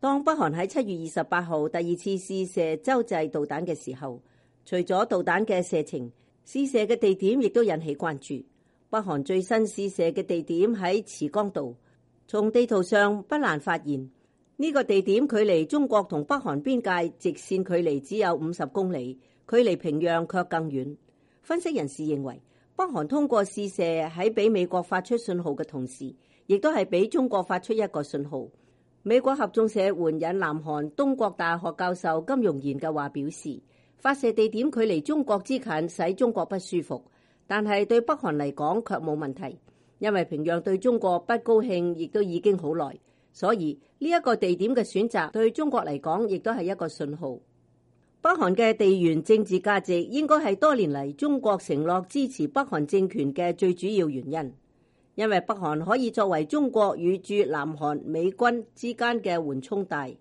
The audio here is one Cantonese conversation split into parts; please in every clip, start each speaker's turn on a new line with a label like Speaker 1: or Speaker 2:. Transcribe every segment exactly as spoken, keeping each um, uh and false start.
Speaker 1: 當北韓喺七月二十八號第二次試射洲際導彈嘅時候，除咗導彈嘅射程，試射嘅地點亦都引起關注。北韓最新試射嘅地點喺慈江道，從地圖上不難發現，呢個地點距離中國同北韓邊界直線距離只有五十公里，距離平壤卻更遠。分析人士認為，北韓通過試射喺俾美國發出信號嘅同時，亦都係俾中國發出一個信號。美國合眾社援引南韓東國大學教授金容賢嘅話表示，發射地點距離中國之近，使中國不舒服，但係對北韓嚟講卻冇問題，因為平壤對中國不高興亦都已經好耐，所以呢一個地點嘅選擇對中國嚟講亦都係一個信號。北韓嘅地緣政治價值應該係多年嚟中國承諾支持北韓政權嘅最主要原因，因為北韓可以作為中國與駐南韓美軍之間嘅緩衝帶。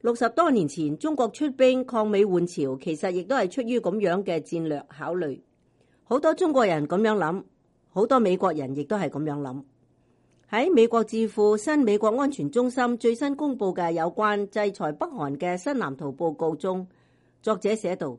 Speaker 1: 六十多年前中國出兵抗美援朝，其實亦都係出於咁樣嘅戰略考慮。好多中國人咁樣諗，好多美國人亦都係咁樣諗。喺美國智庫新美國安全中心最新公布嘅有關制裁北韓嘅新藍圖報告中，作者寫道，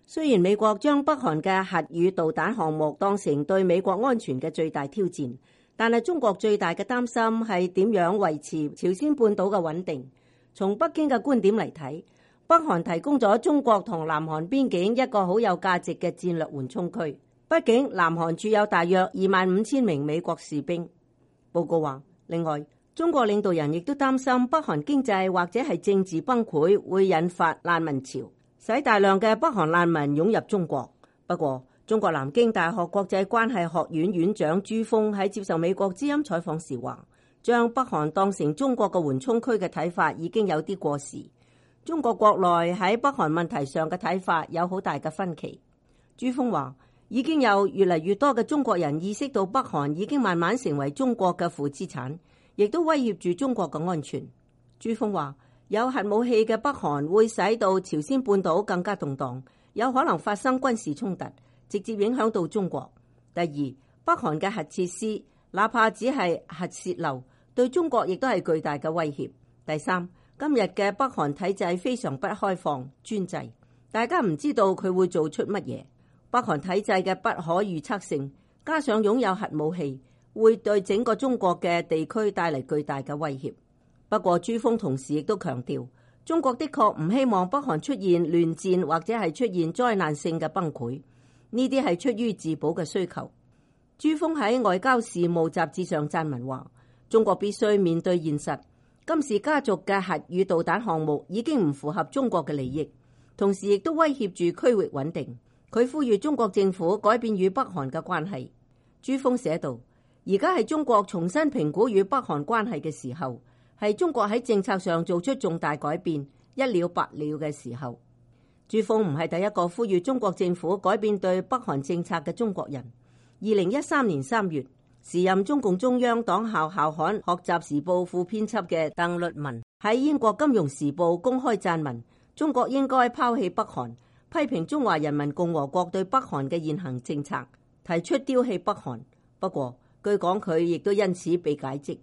Speaker 1: 雖然美國將北韓嘅核與導彈項目當成對美國安全嘅最大挑戰，但係中國最大嘅擔心係點樣維持朝鮮半島嘅穩定。從北京嘅觀點嚟睇，北韓提供咗中國同南韓邊境一個好有價值嘅戰略緩衝區。畢竟南韓駐有大約二萬五千名美國士兵。報告話，另外中國領導人亦都擔心北韓經濟或者係政治崩潰會引發難民潮，使大量嘅北韓難民湧入中國。不過，中國南京大學國際關係學院院長朱鋒喺接受美國之音採訪時話，將北韓當成中國嘅緩衝區嘅睇法已經有啲過時。中國國內喺北韓問題上嘅睇法有好大嘅分歧。朱鋒話，已經有越嚟越多嘅中國人意識到北韓已經慢慢成為中國嘅負資產，亦都威脅住中國嘅安全。朱鋒話，有核武器嘅北韓會使到朝鮮半島更加動盪，有可能發生軍事衝突，直接影響到中國。第二，北韓嘅核設施，哪怕只係核洩漏，對中國亦都係巨大嘅威脅。第三，今日嘅北韓體制非常不開放、專制，大家唔知道佢會做出乜嘢。北韓體制嘅不可預測性，加上擁有核武器，會對整個中國嘅地區帶嚟巨大嘅威脅。不過朱鋒同時亦都強調，中國的確唔希望北韓出現亂戰或者係出現災難性嘅崩潰，呢啲係出於自保嘅需求。朱鋒喺外交事務雜誌上撰文話，中國必須面對現實，金氏家族嘅核與導彈項目已經唔符合中國嘅利益，同時亦都威脅住區域穩定。佢呼籲中國政府改變與北韓嘅關係。朱鋒寫道，而家係中國重新評估與北韓關係嘅時候，係中國喺政策上做出重大改變，一了百了嘅時候。朱鋒唔係第一個呼籲中國政府改變對北韓政策嘅中國人。二零一三年三月，時任中共中央黨校校刊《學習時報》副編輯嘅鄧律文喺英國《金融時報》公開撰文，中國應該拋棄北韓，批評中華人民共和國對北韓嘅現行政策，提出丟棄北韓。不過據講佢亦都因此被解職。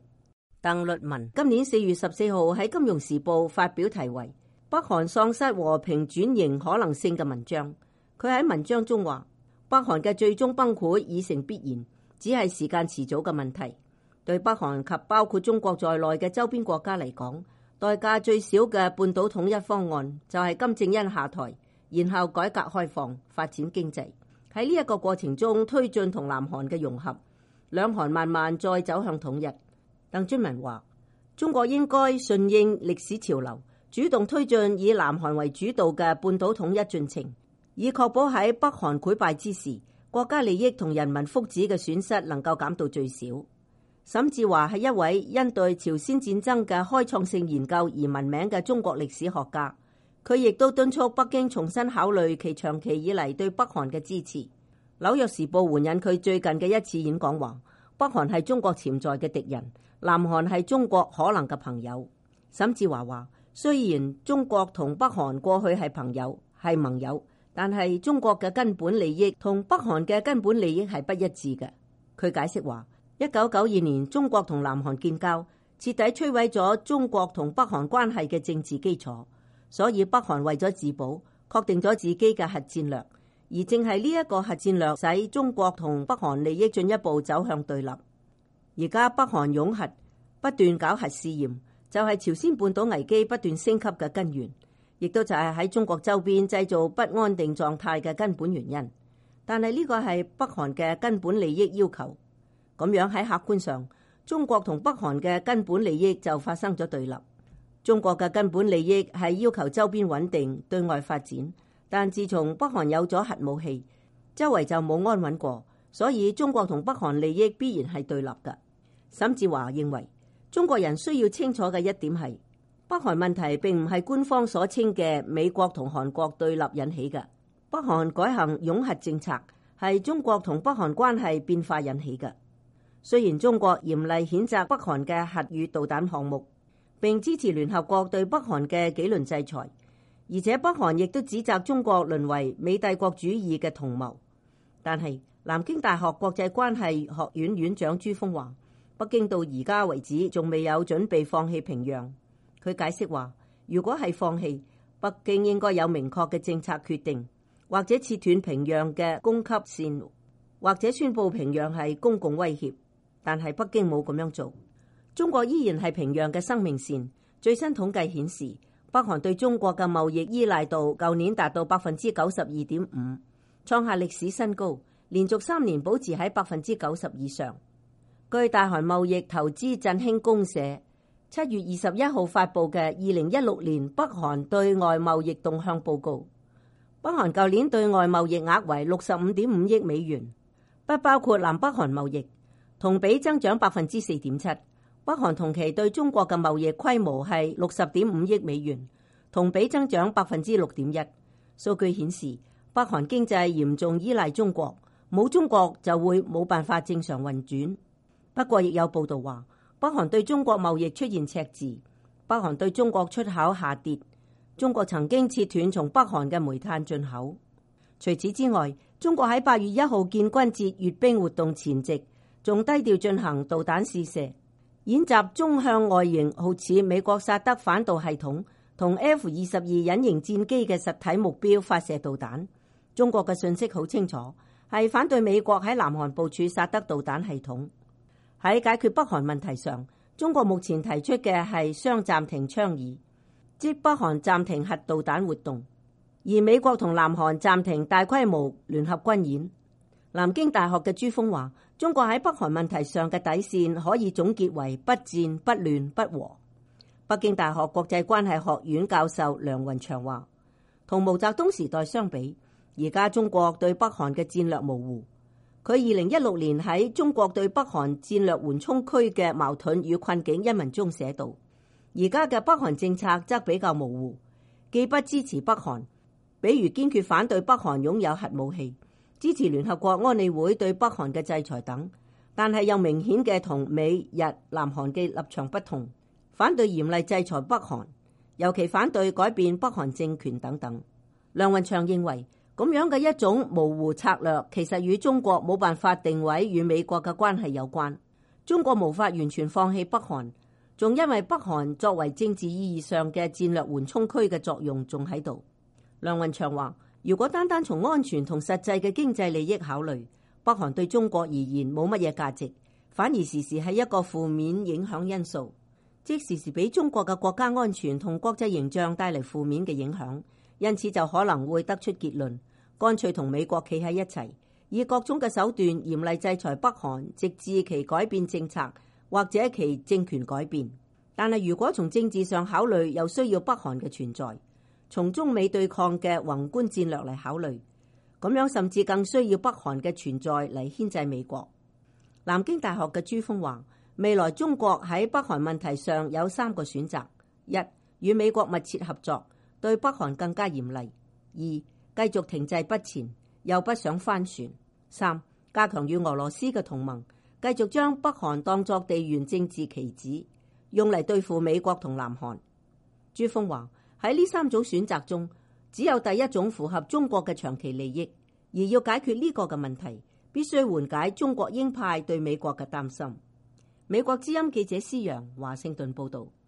Speaker 1: 鄧律文今年四月十四號喺《金融時報》發表題為《北韓喪失和平轉型可能性》嘅文章。佢喺文章中話，北韓嘅最終崩潰已成必然，只係時間遲早嘅問題。對北韓及包括中國在內嘅周邊國家嚟講，代價最少嘅半島統一方案就係金正恩下台，然後改革開放，發展經濟。喺呢一個過程中推進同南韓嘅融合，兩韓慢慢再走向統一。鄧俊文話，中國應該順應歷史潮流，主動推進以南韓為主導嘅半島統一進程，以確保喺北韓潰敗之時，國家利益同人民福祉嘅損失能夠減到最少。沈志華係一位因對朝鮮戰爭嘅開創性研究而聞名嘅中國歷史學家。佢亦都敦促北京重新考慮其長期以嚟對北韓嘅支持。紐約時報援引佢最近嘅一次演講話，北韓係中國潛在嘅敵人，南韓係中國可能嘅朋友。沈志華話，雖然中國同北韓過去係朋友係盟友，但係中國嘅根本利益同北韓嘅根本利益係不一致嘅。佢解釋話，一九九二年中國同南韓建交，徹底摧毀咗中國同北韓關係嘅政治基礎。所以北韓為咗自保，確定咗自己嘅核戰略，而正係呢一個核戰略使中國同北韓利益進一步走向對立。而家北韓擁核，不斷搞核試驗，就係朝鮮半島危機不斷升級嘅根源，亦都就係喺中國周邊製造不安定狀態嘅根本原因。但係呢個係北韓嘅根本利益要求，咁樣喺客觀上，中國同北韓嘅根本利益就發生咗對立。中國嘅根本利益係要求周邊穩定、對外發展，但自從北韓有咗核武器，周圍就冇安穩過，所以中國同北韓利益必然係對立嘅。沈志華認為，中國人需要清楚嘅一點係，北韓問題並唔係官方所稱嘅美國同韓國對立引起嘅，北韓改行擁核政策係中國同北韓關係變化引起嘅。雖然中國嚴厲譴責北韓嘅核與導彈項目，並支持聯合國對北韓嘅紀律制裁，而且北韓亦都指責中國淪為美帝國主義嘅同謀。但係南京大學國際關係學院院長朱鋒話，北京到而家為止仲未有準備放棄平壤。佢解釋話，如果係放棄，北京應該有明確嘅政策決定，或者切斷平壤嘅供給線，或者宣布平壤係公共威脅。但係北京冇咁樣做。中國依然係平壤嘅生命線。最新統計顯示，北韓對中國嘅貿易依賴度舊年達到百分之九十二點五，創下歷史新高，連續三年保持喺百分之九十以上。據大韓貿易投資振興公社七月二十一號發布嘅二零一六年北韓對外貿易動向報告，北韓舊年對外貿易額為六十五點五億美元，不包括南北韓貿易，同比增長百分之四點七。北韓同期對中國嘅貿易規模係六十點五億美元，同比增長百分之六點一。數據顯示，北韓經濟嚴重依賴中國，冇中國就會冇辦法正常運轉。不過，亦有報道話，北韓對中國貿易出現赤字，北韓對中國出口下跌。中國曾經切斷從北韓嘅煤炭進口。除此之外，中國喺八月一號建軍節閱兵活動前夕，仲低調進行導彈試射。演習中向外形好似美國薩德反導系統同 F 二十二隱形戰機嘅實體目標發射導彈。中國嘅信息好清楚，係反對美國喺南韓部署薩德導彈系統。喺解決北韓問題上，中國目前提出嘅係雙暫停倡議，即北韓暫停核導彈活動，而美國同南韓暫停大規模聯合軍演。南京大學嘅朱鋒話，中國喺北韓問題上嘅底線可以總結為不戰、不亂、不和。北京大學國際關係學院教授梁雲祥話，同毛澤東時代相比，而家中國對北韓嘅戰略模糊。佢二零一六年喺《中國對北韓戰略緩衝區嘅矛盾與困境》一文中寫道，而家嘅北韓政策則比較模糊，既不支持北韓，比如堅決反對北韓擁有核武器，支持聯合國安理會對北韓嘅制裁等，但係又明顯嘅同美日南韓嘅立場不同，反對嚴厲制裁北韓，尤其反對改變北韓政權等等。梁雲祥認為，咁樣嘅一種模糊策略，其實與中國冇辦法定位與美國嘅關係有關。中國無法完全放棄北韓，仲因為北韓作為政治意義上嘅戰略緩衝區嘅作用仲喺度。梁雲祥話，如果單單從安全同實際嘅經濟利益考慮，北韓對中國而言冇乜嘢價值，反而時時係一個負面影響因素，即時時俾中國嘅國家安全同國際形象帶嚟負面嘅影響。因此就可能會得出結論，乾脆同美國企喺一齊，以各種嘅手段嚴厲制裁北韓，直至其改變政策或者其政權改變。但係如果從政治上考慮，又需要北韓嘅存在；從中美對抗嘅宏觀戰略嚟考慮，咁樣甚至更需要北韓嘅存在嚟牽制美國。南京大學嘅朱鋒話，未來中國喺北韓問題上有三個選擇：一、與美國密切合作，對北韓更加嚴厲；二、繼續停滯不前，又不想翻船；三、加強與俄羅斯嘅同盟，繼續將北韓當作地緣政治棋子，用嚟對付美國同南韓。朱鋒話，喺呢三種選擇中，只有第一種符合中國嘅長期利益，而要解決呢個嘅問題，必須緩解中國鷹派對美國嘅擔心。美國之音記者施揚華盛頓報道。